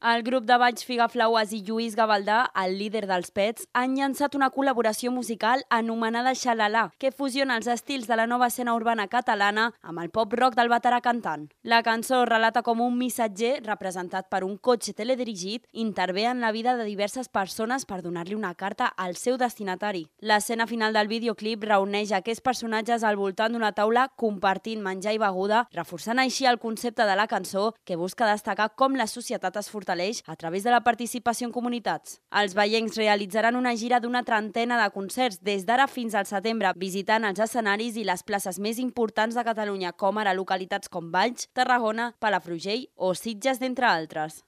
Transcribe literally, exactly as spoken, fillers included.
El grup de baix Figaflaues i Lluís Gavaldà, el líder dels Pets, han llançat una col·laboració musical anomenada Xalalà, que fusiona els estils de la nova escena urbana catalana amb el pop-rock del veterà cantant. La cançó relata com un missatger, representat per un cotxe teledirigit, intervé en la vida de diverses persones per donar-li una carta al seu destinatari. L'escena final del videoclip reuneix aquests personatges al voltant d'una taula compartint menjar i beguda, reforçant així el concepte de la cançó que busca destacar com la societat es fortaleix a través de la participació en comunitats. Els veiencs realitzaran una gira d'una trentena de concerts des d'ara fins al setembre, visitant els escenaris i les places més importants de Catalunya, com ara localitats com Valls, Tarragona, Palafrugell o Sitges, d'entre altres.